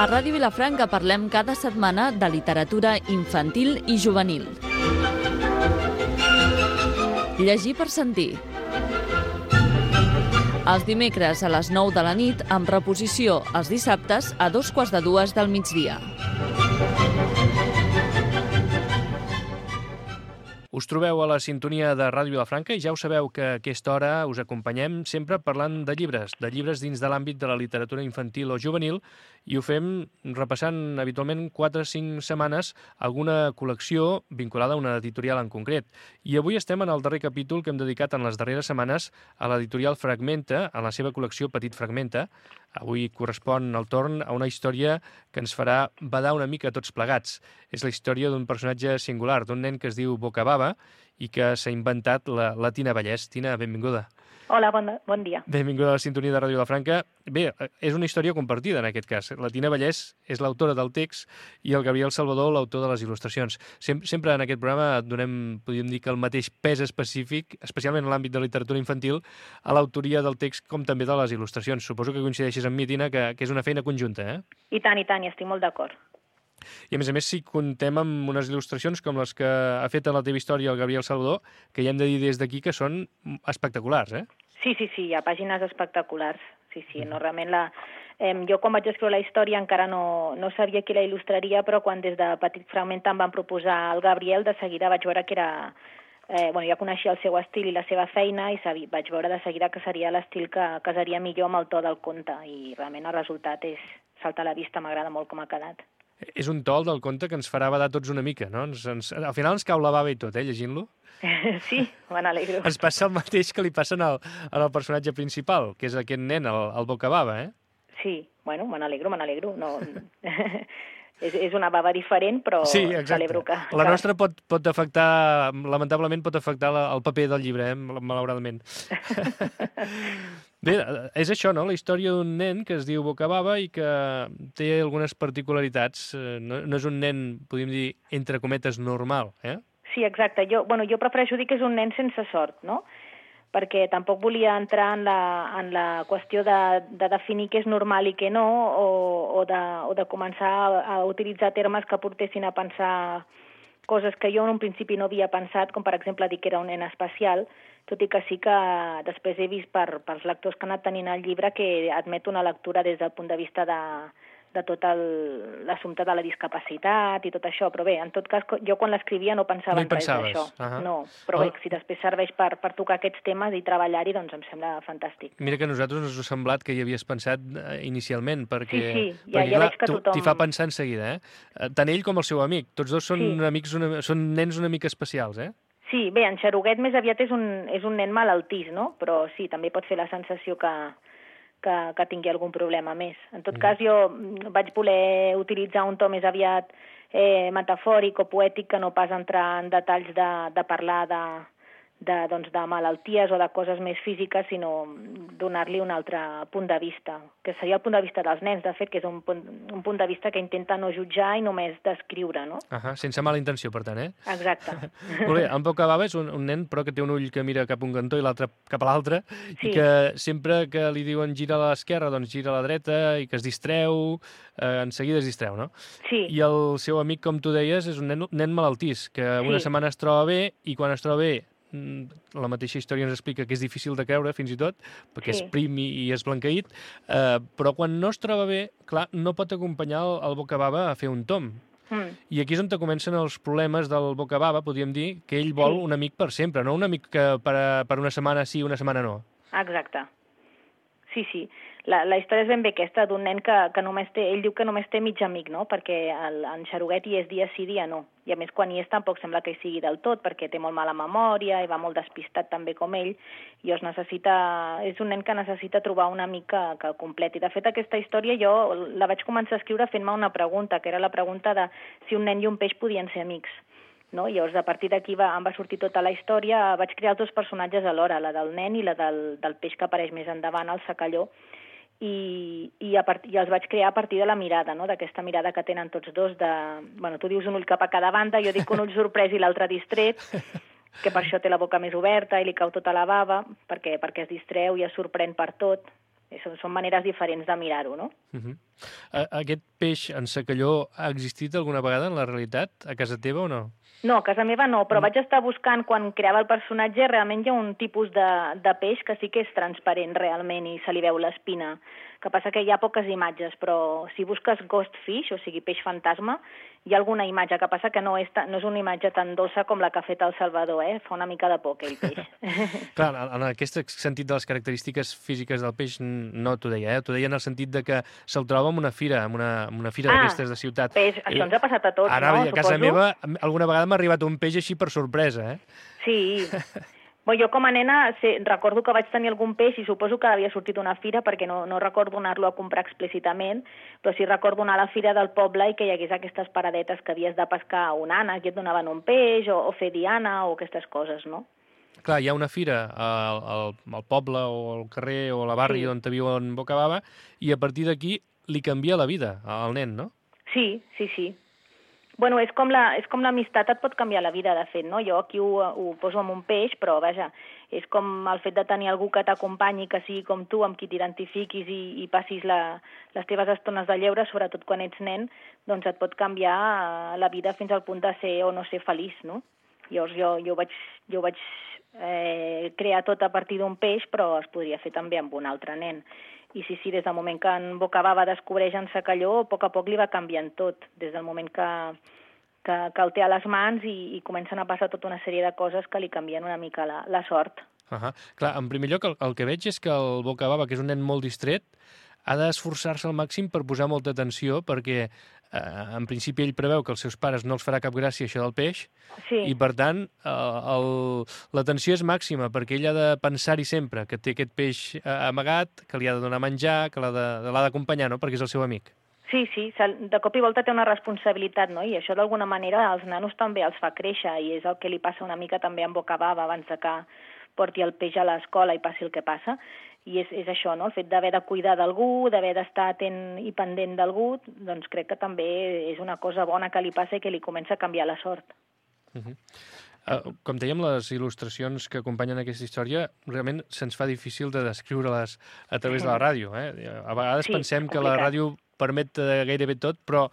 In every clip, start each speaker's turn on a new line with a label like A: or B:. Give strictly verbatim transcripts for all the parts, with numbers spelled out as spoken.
A: A Ràdio Vilafranca parlem cada setmana de literatura infantil i juvenil. Llegir per sentir. Els dimecres a les nou de la nit, amb reposició els dissabtes a dos quarts de dues del migdia.
B: Us trobeu a la sintonia de Ràdio Vilafranca i ja ho sabeu que a aquesta hora us acompanyem sempre parlant de llibres, de llibres dins de l'àmbit de la literatura infantil o juvenil, i ho fem repassant habitualment quatre o cinc setmanes alguna col·lecció vinculada a una editorial en concret. I avui estem en el darrer capítol que hem dedicat en les darreres setmanes a l'editorial Fragmenta, a la seva col·lecció Petit Fragmenta. Avui correspon el torn a una història que ens farà badar una mica tots plegats. És la història d'un personatge singular, d'un nen que es diu Bocababa i que s'ha inventat la, la Tina Vallès. Tina, benvinguda.
C: Hola, bon, bon dia.
B: Benvinguda a la sintonia de Ràdio Vilafranca. Bé, és una història compartida en aquest cas. La Tina Vallès és l'autora del text i el Gabriel Salvador l'autor de les il·lustracions. Sem sempre en aquest programa donem, podríem dir, que el mateix pes específic, especialment en l'àmbit de literatura infantil, a l'autoria del text com també de les il·lustracions. Suposo que coincideixes amb mi, Tina, que, que és una feina conjunta, eh?
C: I tant, i tant, i estic molt d'acord.
B: I a més a més, si contem amb unes il·lustracions com les que ha fet en la teva història el Gabriel Salvador, que ja hem de dir des d'aquí que són espectaculars, eh?
C: Sí, sí, sí, hi ha pàgines espectaculars. Sí, sí, no, realment la... Eh, jo quan vaig escriure la història encara no, no sabia qui la il·lustraria, però quan des de Petit Fragment em van proposar el Gabriel, de seguida vaig veure que era... Eh, bueno, ja coneixia el seu estil i la seva feina i sabi, vaig veure de seguida que seria l'estil que casaria millor amb el to del conte i realment el resultat és saltar a la vista, m'agrada molt com ha quedat.
B: És un tol del conte que ens farà badar tots una mica, no? Ens, ens, al final ens cau la bava i tot, eh, llegint-lo.
C: Sí, me n'alegro.
B: Ens passa el mateix que li passa al, al personatge principal, que és aquest nen, el, el Bocababa, eh?
C: Sí, bueno, me n'alegro, me n'alegro. No... és, és una bava diferent, però
B: sí,
C: celebro que...
B: La nostra pot, pot afectar, lamentablement pot afectar la, el paper del llibre, eh, malauradament. Bé, és això, no?, la història d'un nen que es diu Bocababa i que té algunes particularitats. No, no és un nen, podríem dir, entre cometes, normal, eh?
C: Sí, exacte. Jo, bueno, jo prefereixo dir que és un nen sense sort, no?, perquè tampoc volia entrar en la, en la qüestió de, de definir què és normal i què no, o, o, de, o de començar a, a utilitzar termes que portessin a pensar coses que jo en un principi no havia pensat, com per exemple dir que era un nen especial, tot i que sí que després he vist per, pels lectors que han anat tenint el llibre que admet una lectura des del punt de vista de, de tot l'assumpte de la discapacitat i tot això, però bé, en tot cas, jo quan l'escrivia no pensava
B: no
C: en res d'això.
B: Uh -huh.
C: No, però bé, si després serveix per, per tocar aquests temes i treballar-hi, doncs em sembla fantàstic.
B: Mira que a nosaltres ens ha semblat que hi havies pensat inicialment, perquè,
C: sí, sí, ja,
B: perquè
C: ja
B: clar,
C: veig que tothom...
B: t'hi fa pensar en seguida, eh? Tant ell com el seu amic, tots dos són,
C: sí.
B: amics una, són nens una mica especials, eh?
C: Sí, bé, en Xaruguet més aviat és un, és un nen malaltís, no? Però sí, també pot fer la sensació que, que, que tingui algun problema més. En tot mm. cas, jo vaig voler utilitzar un to més aviat eh, metafòric o poètic que no pas entrar en detalls de, de parlar de, de, doncs, de malalties o de coses més físiques, sinó donar-li un altre punt de vista, que seria el punt de vista dels nens, de fet, que és un punt, un punt de vista que intenta no jutjar i només descriure, no?
B: Uh -huh, sense mala intenció, per tant, eh?
C: Exacte.
B: Molt bé, en Bocababa és un, un nen, però que té un ull que mira cap a un cantó i l'altre cap a l'altre,
C: sí.
B: i que sempre que li diuen gira a l'esquerra, doncs gira a la dreta, i que es distreu, eh, en seguida es distreu, no?
C: Sí.
B: I el seu amic, com tu deies, és un nen, nen malaltís, que una
C: sí.
B: setmana es troba bé, i quan es troba bé la mateixa història ens explica que és difícil de creure, fins i tot, perquè sí. és prim i, i és blanqueït, eh, però quan no es troba bé, clar, no pot acompanyar el, el Bocababa a fer un tom. Mm. I aquí és on comencen els problemes del Bocababa, podríem dir, que ell vol sí. un amic per sempre, no un amic que per, per una setmana sí, una setmana no.
C: Exacte. Sí, sí. La, la història és ben bé aquesta, d'un nen que, que només té, ell diu que només té mig amic, no?, perquè el, en Xaruguet hi és dia sí, dia no. I a més, quan hi és tampoc sembla que hi sigui del tot, perquè té molt mala memòria i va molt despistat també com ell, i es necessita, és un nen que necessita trobar un amic que, que el completi. De fet, aquesta història jo la vaig començar a escriure fent-me una pregunta, que era la pregunta de si un nen i un peix podien ser amics. No? Llavors, a partir d'aquí va, em va sortir tota la història, vaig crear els dos personatges alhora, la del nen i la del, del peix que apareix més endavant, el secalló, i, i, a part, i els vaig crear a partir de la mirada, no?, d'aquesta mirada que tenen tots dos, de, bueno, tu dius un ull cap a cada banda, jo dic un ull sorprès i l'altre distret, que per això té la boca més oberta i li cau tota la bava, perquè, perquè es distreu i es sorprèn per tot. són, són maneres diferents de mirar-ho, no?
B: Uh-huh. Aquest peix en secalló ha existit alguna vegada en la realitat, a casa teva o no?
C: No, a casa meva no, però no. Vaig estar buscant, quan creava el personatge, realment hi ha un tipus de, de peix que sí que és transparent realment i se li veu l'espina. Que passa que hi ha poques imatges, però si busques ghost fish, o sigui peix fantasma, hi ha alguna imatge, que passa que no és, no és una imatge tan dolça com la que ha fet el Salvador, eh? Fa una mica de por aquell peix.
B: Clar, en aquest sentit de les característiques físiques del peix no t'ho deia, eh? T'ho deia en el sentit de que se'l troba en una fira, en una, en una fira ah, d'aquestes de ciutat.
C: Peix, això ens ha passat a tots,
B: Ara,
C: no?
B: A casa
C: Suposo?
B: meva alguna vegada m'ha arribat un peix així per sorpresa, eh?
C: Sí. Bé, jo com a nena sé, recordo que vaig tenir algun peix i suposo que havia sortit una fira perquè no, no recordo anar-lo a comprar explícitament, però sí recordo anar a la fira del poble i que hi hagués aquestes paradetes que havies de pescar un ànec i et donaven un peix o, o fer diana o aquestes coses, no?
B: Clar, hi ha una fira al, al, al poble o al carrer o a la barri sí. on viu en Bocabava i a partir d'aquí li canvia la vida al nen, no?
C: Sí, sí, sí. Bueno, és com la, és com l'amistat et pot canviar la vida, de fet, no? Jo aquí ho, ho poso amb un peix, però, vaja, és com el fet de tenir algú que t'acompanyi, que sigui com tu, amb qui t'identifiquis i, i passis la, les teves estones de lleure, sobretot quan ets nen, doncs et pot canviar la vida fins al punt de ser o no ser feliç, no? Llavors jo, jo vaig, jo vaig eh, crear tot a partir d'un peix, però es podria fer també amb un altre nen. I sí, sí, des del moment que en Bocabava descobreix en Secalló, a poc a poc li va canviant tot, des del moment que, que, que el té a les mans i, i comencen a passar tota una sèrie de coses que li canvien una mica la, la sort.
B: Uh-huh. Clar, en primer lloc, el, el que veig és que el Bocabava, que és un nen molt distret, ha d'esforçar-se al màxim per posar molta atenció, perquè eh, en principi ell preveu que els seus pares no els farà cap gràcia això del peix,
C: sí.
B: i per tant eh, l'atenció és màxima, perquè ell ha de pensar-hi sempre que té aquest peix eh, amagat, que li ha de donar menjar, que l'ha d'acompanyar, no?, perquè és el seu amic.
C: Sí, sí, de cop i volta té una responsabilitat, no?, i això d'alguna manera als nanos també els fa créixer, i és el que li passa una mica també en Bocabava abans de que porti el peix a l'escola i passi el que passa. I és, és això, no?, el fet d'haver de cuidar d'algú, d'haver d'estar atent i pendent d'algú, doncs crec que també és una cosa bona que li passa i que li comença a canviar la sort.
B: Uh-huh. Uh, com dèiem, les il·lustracions que acompanyen aquesta història realment se'ns fa difícil de descriure-les a través de la ràdio. Eh? A vegades sí, pensem que la ràdio permet gairebé tot, però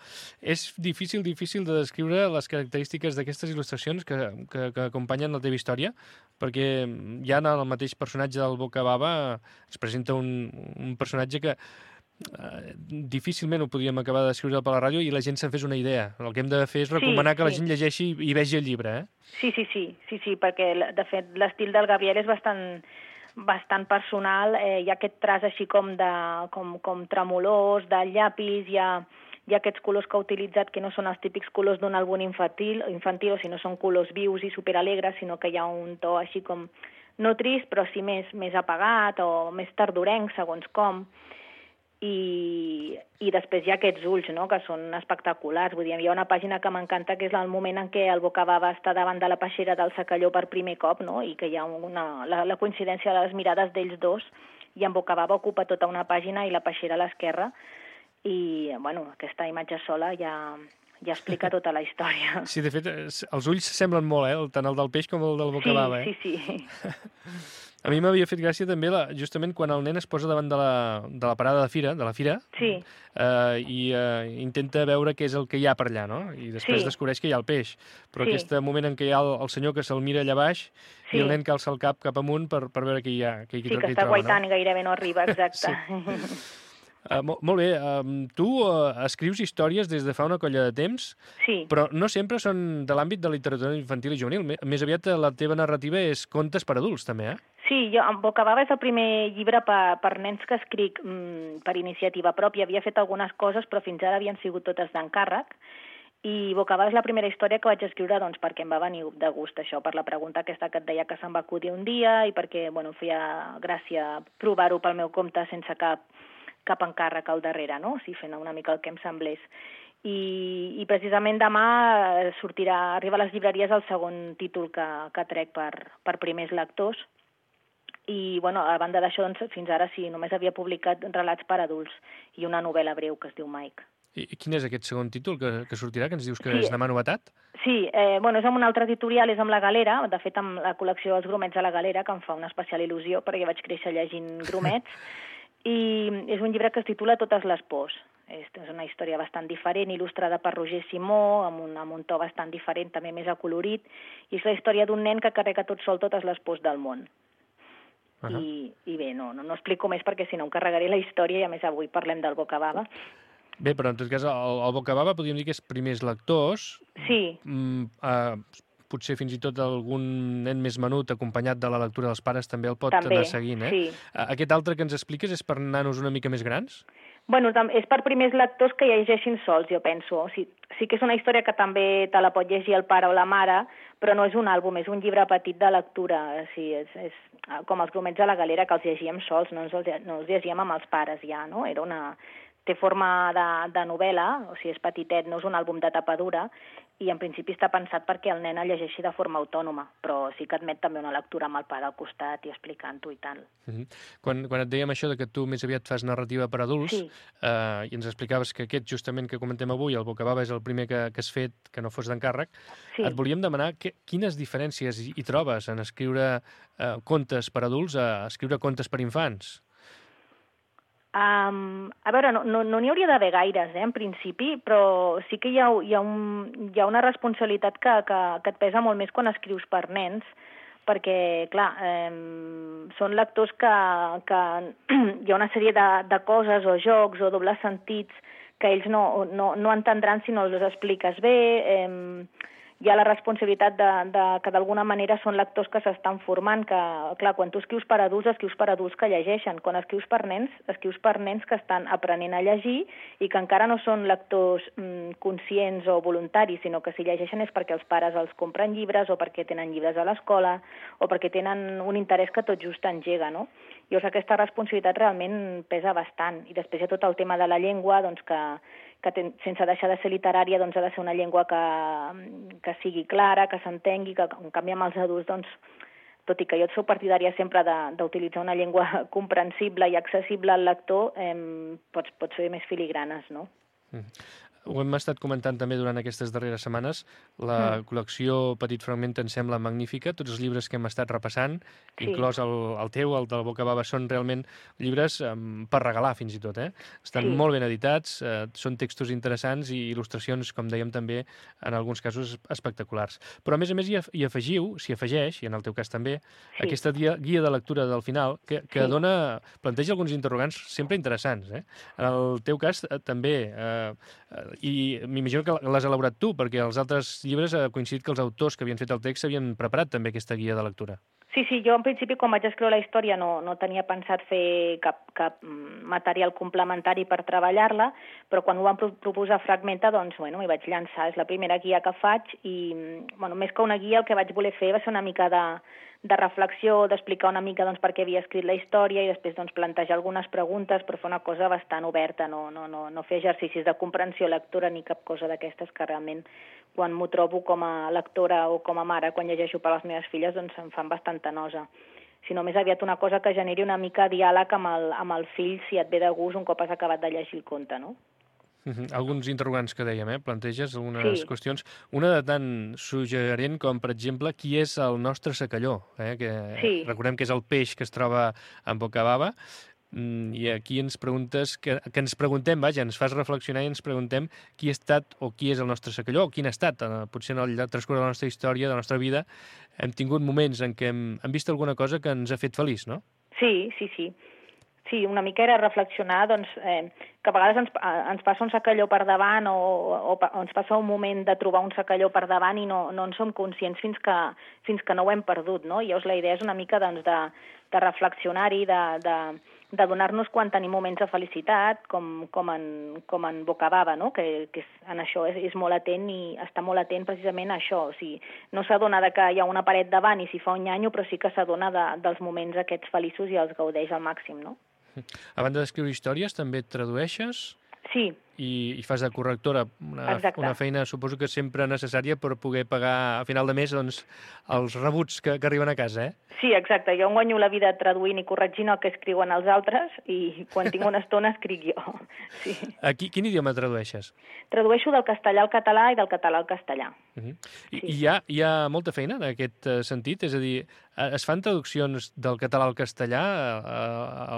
B: és difícil, difícil de descriure les característiques d'aquestes il·lustracions que, que, que acompanyen la teva història, perquè ja en el mateix personatge del Bocabava es presenta un, un personatge que eh, difícilment ho podríem acabar de descriure per la ràdio i la gent se'n fes una idea. El que hem de fer és recomanar sí, que la sí. gent llegeixi i vegi el llibre, eh?
C: Sí, sí, sí, sí, sí, perquè de fet l'estil del Gabriel és bastant bastant personal, eh, hi ha aquest traç així com, de, com, com tremolós, de llapis, hi ha, hi ha aquests colors que ha utilitzat que no són els típics colors d'un àlbum infantil, infantil, sinó són colors vius i superalegres, sinó que hi ha un to així com, no trist, però sí més, més apagat o més tardorenc, segons com. I, i després hi ha aquests ulls, no?, que són espectaculars. Vull dir, hi ha una pàgina que m'encanta, que és el moment en què el Bocabava està davant de la peixera del Secalló per primer cop, no?, i que hi ha una, la, la coincidència de les mirades d'ells dos, i en Bocabava ocupa tota una pàgina i la peixera a l'esquerra, i, bueno, aquesta imatge sola ja, ja explica tota la història.
B: Sí, de fet, els ulls semblen molt, eh?, tant el del peix com el del Bocabava,
C: sí,
B: eh?
C: Sí, sí, sí.
B: A mi m'havia fet gràcia també la, justament quan el nen es posa davant de la, de la parada de fira, de la fira,
C: sí.
B: eh, i eh, intenta veure què és el que hi ha per allà, no? I després sí. descobreix que hi ha el peix. Però sí. aquest moment en què hi ha el, el senyor que se'l mira allà baix sí. i el nen que alça el cap cap amunt per, per veure què hi ha. Què,
C: sí, que, que
B: està
C: troba, guaitant
B: no?
C: i gairebé no arriba, exacte.
B: Sí. Uh, molt, molt bé, uh, tu uh, escrius històries des de fa una colla de temps,
C: sí.
B: però no sempre són de l'àmbit de literatura infantil i juvenil. Més aviat la teva narrativa és contes per adults, també, eh?
C: Sí, jo, en Bocabava és el primer llibre per, per nens que escric mm, per iniciativa pròpia. Havia fet algunes coses, però fins ara havien sigut totes d'encàrrec. I Bocabava és la primera història que vaig escriure doncs, perquè em va venir de gust això, per la pregunta aquesta que et deia que se'm va acudir un dia i perquè bueno, feia gràcia provar-ho pel meu compte sense cap cap encàrrec al darrere, no? O sigui, fent una mica el que em semblés. I, i precisament demà sortirà, arriba a les llibreries el segon títol que, que trec per, per primers lectors. I, bueno, a banda d'això, doncs, fins ara sí, només havia publicat relats per adults i una novel·la breu que es diu Mike.
B: I quin és aquest segon títol que, que sortirà, que ens dius que
C: sí,
B: és demà novetat?
C: Sí, eh, bueno, és amb un altre editorial, és amb La Galera, de fet amb la col·lecció Els gromets de La Galera, que em fa una especial il·lusió, perquè vaig créixer llegint gromets, i és un llibre que es titula Totes les pors. És una història bastant diferent, il·lustrada per Roger Simó, amb un, amb un to bastant diferent, també més acolorit, i és la història d'un nen que carrega tot sol totes les pors del món. Uh -huh. I, I bé, no, no, no explico més perquè si no em carregaré la història i a més avui parlem del Bocababa.
B: Bé, però en tot cas el, el Bocababa podríem dir que és primers lectors.
C: Sí.
B: Mm, uh, potser fins i tot algun nen més menut acompanyat de la lectura dels pares també el pot
C: també,
B: anar seguint, eh?
C: Sí.
B: Aquest altre que ens expliques és per nanos una mica més grans?
C: Bueno, és per primers lectors que llegeixin sols, jo penso. O sigui, sí que és una història que també te la pot llegir el pare o la mare, però no és un àlbum, és un llibre petit de lectura. O sigui, és, és com els grumets a la galera, que els llegíem sols, no, ens els, no els llegíem amb els pares ja, no? Era una... Té forma de, de novel·la, o sigui, és petitet, no és un àlbum de tapa dura, i en principi està pensat perquè el nen el llegeixi de forma autònoma, però sí que admet també una lectura amb el pare al costat i explicant-ho i tal.
B: Uh -huh. quan, quan et dèiem això de que tu més aviat fas narrativa per adults,
C: sí.
B: eh, i ens explicaves que aquest justament que comentem avui, el Bocababa, és el primer que, que has fet, que no fos d'encàrrec, sí. Et volíem demanar que, quines diferències hi, hi trobes en escriure eh, contes per adults a escriure contes per infants?
C: Um, a veure, no n'hi no, no hauria d'haver gaires, eh, en principi, però sí que hi ha, hi ha, un, hi ha una responsabilitat que, que, que et pesa molt més quan escrius per nens, perquè, clar, eh, són lectors que, que hi ha una sèrie de, de coses o jocs o dobles sentits que ells no, no, no entendran si no els expliques bé. Eh, hi ha la responsabilitat de, de que d'alguna manera són lectors que s'estan formant, que, clar, quan tu escrius per adults, escrius per adults que llegeixen. Quan escrius per nens, escrius per nens que estan aprenent a llegir i que encara no són lectors mm, conscients o voluntaris, sinó que si llegeixen és perquè els pares els compren llibres o perquè tenen llibres a l'escola o perquè tenen un interès que tot just engega, no? Llavors aquesta responsabilitat realment pesa bastant. I després hi ha tot el tema de la llengua, doncs que que ten, sense deixar de ser literària, doncs ha de ser una llengua que, que sigui clara, que s'entengui, que en canvi amb els adults, doncs, tot i que jo soc partidària sempre d'utilitzar una llengua comprensible i accessible al lector, eh, pots, pots fer més filigranes, no?
B: Mm. Ho hem estat comentant també durant aquestes darreres setmanes. La mm. col·lecció Petit Fragment em sembla magnífica. Tots els llibres que hem estat repassant, sí. inclòs el, el teu, el del Bocababa, són realment llibres um, per regalar, fins i tot. Eh? Estan sí. molt ben editats, eh, són textos interessants i il·lustracions, com dèiem també, en alguns casos espectaculars. Però, a més a més, hi, hi afegiu, s'hi afegeix, i en el teu cas també, sí. aquesta guia, guia de lectura del final, que, que sí. dona, planteja alguns interrogants sempre interessants. Eh? En el teu cas, eh, també... Eh, i m'imagino que l'has elaborat tu, perquè els altres llibres ha coincidit que els autors que havien fet el text havien preparat també aquesta guia de lectura.
C: Sí, sí, jo en principi quan vaig escriure la història no, no tenia pensat fer cap, cap material complementari per treballar-la, però quan ho van proposar Fragmenta, doncs, bueno, m'hi vaig llançar. És la primera guia que faig i, bueno, més que una guia, el que vaig voler fer va ser una mica de, de reflexió, d'explicar una mica doncs, per què havia escrit la història i després doncs, plantejar algunes preguntes, però fer una cosa bastant oberta, no, no, no, no fer exercicis de comprensió lectora ni cap cosa d'aquestes que realment quan m'ho trobo com a lectora o com a mare, quan llegeixo per les meves filles, doncs em fan bastanta nosa. Sinó més aviat una cosa que generi una mica diàleg amb el, amb el fill si et ve de gust un cop has acabat de llegir el conte, no?
B: Uh-huh. Alguns interrogants que dèiem, eh? Planteges algunes sí. qüestions. Una de tan suggerent com, per exemple, qui és el nostre secalló, eh? Que sí. recordem que és el peix que es troba en Bocababa, i aquí ens preguntes, que, que ens preguntem, vaja, ens fas reflexionar i ens preguntem qui ha estat o qui és el nostre secalló, o quin ha estat, potser en el transcurs de la nostra història, de la nostra vida, hem tingut moments en què hem, hem vist alguna cosa que ens ha fet feliç, no?
C: Sí, sí, sí. Sí, una mica era reflexionar doncs, eh, que a vegades ens, ens passa un secalló per davant o, o, o ens passa un moment de trobar un secalló per davant i no, no en som conscients fins que, fins que no ho hem perdut, no? I llavors la idea és una mica doncs, de, de reflexionar-hi, de, de, de donar-nos quan tenim moments de felicitat, com, com, en, com en Bocababa, no? que, que és, en això és, és molt atent i està molt atent precisament a això. O sigui, no s'adona que hi ha una paret davant i s'hi fa un nyanyo, però sí que s'adona de, dels moments aquests feliços i els gaudeix al màxim, no?
B: A banda d'escriure històries, també et tradueixes?
C: Sí,
B: i, i fas de correctora, una, una feina suposo que sempre necessària per poder pagar a final de mes doncs, els rebuts que, que arriben a casa, eh?
C: Sí, exacte. Jo em guanyo la vida traduint i corregint el que escriuen els altres i quan tinc una estona escric jo. Sí.
B: A qui, quin idioma tradueixes?
C: Tradueixo del castellà al català i del català al castellà.
B: Uh -huh. I,
C: sí.
B: I hi ha, hi ha molta feina en aquest sentit? És a dir, es fan traduccions del català al castellà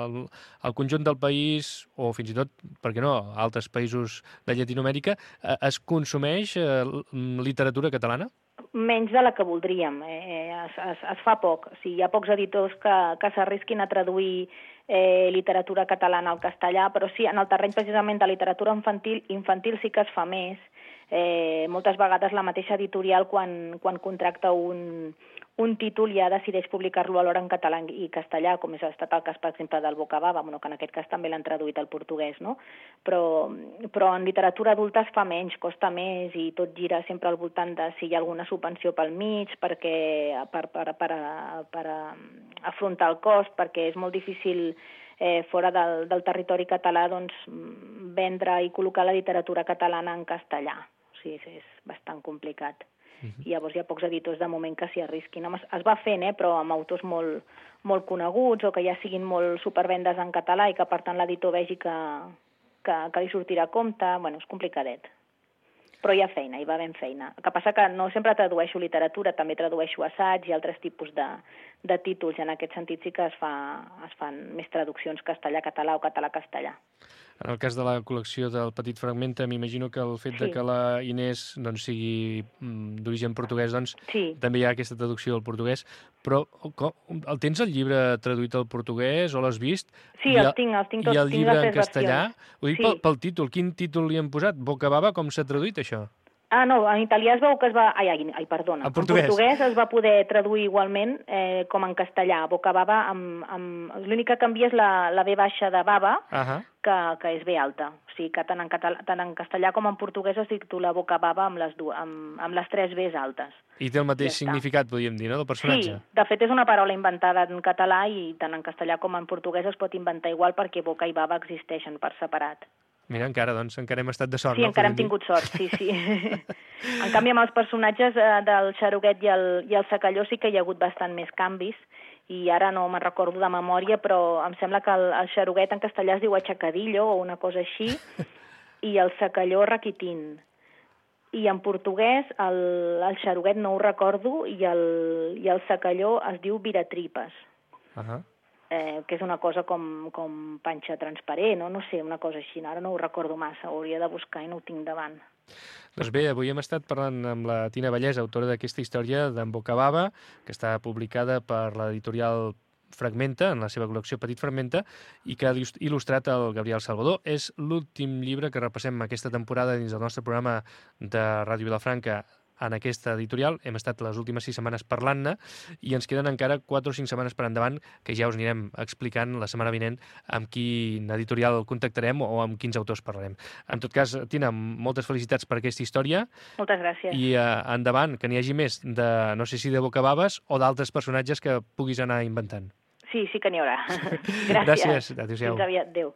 B: al, al conjunt del país o fins i tot, per què no, a altres països de Llatinoamèrica? Es consumeix literatura catalana?
C: Menys de la que voldríem. Eh, es, es, es fa poc. O sigui, hi ha pocs editors que, que s'arrisquin a traduir eh, literatura catalana al castellà, però sí, en el terreny precisament de literatura infantil, infantil sí que es fa més. Eh, moltes vegades la mateixa editorial, quan, quan contracta un, un títol, ja decideix publicar-lo alhora en català i castellà, com és estat el cas, per exemple, del Bocababa, bueno, que en aquest cas també l'han traduït al portuguès, no? Però, però en literatura adulta es fa menys, costa més, i tot gira sempre al voltant de si hi ha alguna subvenció pel mig, perquè, per, per, per, per, per afrontar el cost, perquè és molt difícil eh, fora del, del territori català doncs, vendre i col·locar la literatura catalana en castellà. O sigui, és bastant complicat. Uh-huh. I llavors hi ha pocs editors de moment que s'hi arrisquin. Es va fent, eh, però amb autors molt, molt coneguts o que ja siguin molt supervendes en català i que per tant l'editor vegi que, que, que li sortirà a compte. Bueno, és complicadet. Però hi ha feina, hi va ben feina. El que passa que no sempre tradueixo literatura, també tradueixo assaig i altres tipus de, de títols, i en aquest sentit sí que es, fa, es fan més traduccions castellà-català o català-castellà.
B: En el cas de la col·lecció del Petit Fragmenta, m'imagino que el fet sí. de que la Inés doncs, sigui d'origen portuguès, doncs sí. també hi ha aquesta traducció al portuguès. Però com, el tens el llibre traduït al portuguès o l'has vist?
C: Sí, els tinc, els tinc tots.
B: I el llibre en castellà?
C: Versions.
B: Ho dic sí. pel, pel títol. Quin títol li han posat? Bocababa, com s'ha traduït això?
C: Ah, no, en italià es veu que es va... Ai, ai, ai perdona.
B: En portuguès.
C: En portuguès es va poder traduir igualment eh, com en castellà. Bocababa, amb, amb... l'únic que canvia és la, la B baixa de baba, uh -huh. que, que és B alta. O sigui que tant en, català, tant en castellà com en portuguès es titula Bocababa amb les, du... amb, amb les tres Bs altes.
B: I té el mateix ja significat, podríem dir, no?, del personatge.
C: Sí, de fet és una paraula inventada en català i tant en castellà com en portuguès es pot inventar igual perquè boca i baba existeixen per separat.
B: Mira, encara, doncs, encara hem estat de sort,
C: sí,
B: no?
C: Sí, encara hem tingut sort, sí, sí. En canvi, amb els personatges eh, del Xaruguet i el, i el Secalló sí que hi ha hagut bastant més canvis, i ara no me'n recordo de memòria, però em sembla que el, el Xaruguet en castellà es diu Aixacadillo o una cosa així, i el Secalló Raquitín. I en portuguès el, el Xaruguet no ho recordo, i el, i el Secalló es diu Viratripes.
B: Uh -huh.
C: Eh, que és una cosa com, com panxa transparent, o no sé, una cosa així. Ara no ho recordo massa, ho hauria de buscar i no ho tinc davant.
B: Doncs bé, avui hem estat parlant amb la Tina Vallès, autora d'aquesta història d'en Bocababa, que està publicada per l'editorial Fragmenta, en la seva col·lecció Petit Fragmenta, i que ha il·lustrat el Gabriel Salvador. És l'últim llibre que repassem aquesta temporada dins del nostre programa de Ràdio Vilafranca en aquesta editorial. Hem estat les últimes sis setmanes parlant-ne i ens queden encara quatre o cinc setmanes per endavant que ja us anirem explicant la setmana vinent amb quin editorial contactarem o amb quins autors parlarem. En tot cas, Tina, moltes felicitats per aquesta història.
C: Moltes gràcies.
B: I uh, endavant, que n'hi hagi més de, no sé si de Bocababes o d'altres personatges que puguis anar inventant.
C: Sí, sí que n'hi haurà. Gràcies.
B: Gràcies. Adéu-siau.
C: Fins aviat. Adéu.